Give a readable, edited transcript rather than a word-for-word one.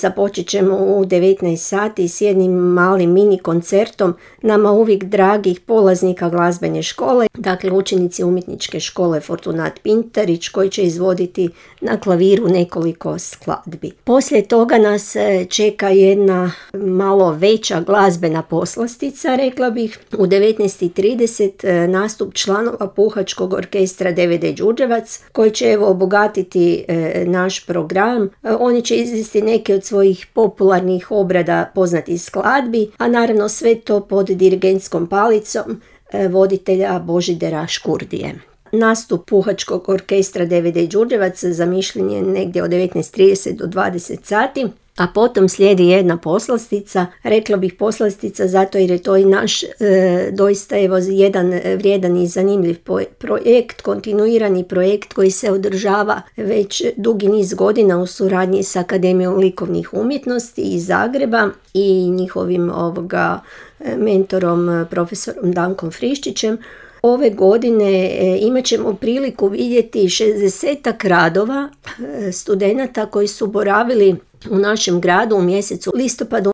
Započet ćemo u 19 sati s jednim malim mini koncertom nama uvijek dragih polaznika glazbene škole, dakle učenici umjetničke škole Fortunat Pintarić koji će izvoditi na klaviru nekoliko skladbi. Poslije toga nas čeka jedna malo veća glazbena poslastica, rekla bih. U 19:30 nastup članova Puhačkog orkestra DVD Đurđevac koji će obogatiti naš program. Oni će izvesti neke od svojih popularnih obrada poznatih skladbi, a naravno sve to pod dirigentskom palicom voditelja Božidara Škurdije. Nastup Puhačkog orkestra DVD Đurđevac zamišljen je negdje od 19:30 do 20 sati, a potom slijedi jedna poslastica, rekla bih poslastica zato jer je to i naš doista jedan vrijedan i zanimljiv projekt, kontinuirani projekt koji se održava već dugi niz godina u suradnji s Akademijom likovnih umjetnosti iz Zagreba i njihovim mentorom profesorom Dankom Friščićem. Ove godine imat ćemo priliku vidjeti 60-ak radova studenata koji su boravili u našem gradu u mjesecu listopadu